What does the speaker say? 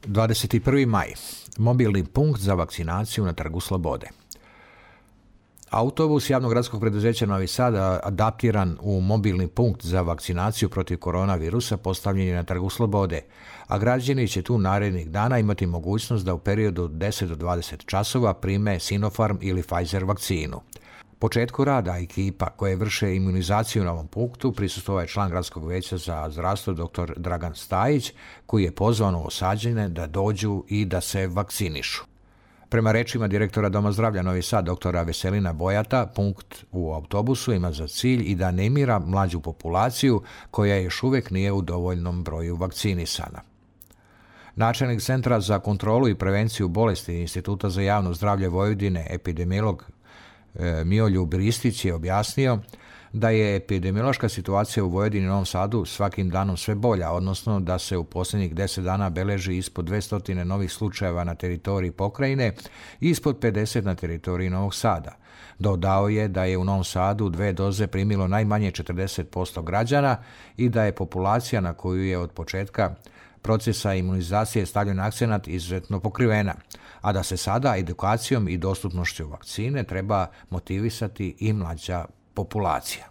21. maj. Mobilni punkt za vakcinaciju na Trgu Slobode. Autobus javnog gradskog preduzeća Novi Sad, adaptiran u mobilni punkt za vakcinaciju protiv koronavirusa, postavljen je na Trgu Slobode, a građani će tu narednih dana imati mogućnost da u periodu od 10 do 20 časova prime Sinopharm ili Pfizer vakcinu. Početku rada ekipa koje vrše imunizaciju na ovom punktu prisustvovao je član Gradskog veća za zdravstvo dr. Dragan Stajić, koji je pozvao Novosađane da dođu i da se vakcinišu. Prema rečima direktora Doma zdravlja Novi Sad, doktora Veselina Bojata, punkt u autobusu ima za cilj i da animira mlađu populaciju koja još uvijek nije u dovoljnom broju vakcinisana. Načelnik Centra za kontrolu i prevenciju bolesti Instituta za javno zdravlje Vojvodine, epidemiolog Mioljub Ristić, je objasnio da je epidemiološka situacija u Vojvodini i Novom Sadu svakim danom sve bolja, odnosno da se u posljednjih 10 dana beleži ispod 200 novih slučajeva na teritoriji pokrajine i ispod 50 na teritoriji Novog Sada. Dodao je da je u Novom Sadu 2 doze primilo najmanje 40% građana i da je populacija na koju je od početka procesa imunizacije stavljen akcenat izuzetno pokrivena, a da se sada edukacijom i dostupnošću vakcine treba motivisati i mlađa populacija.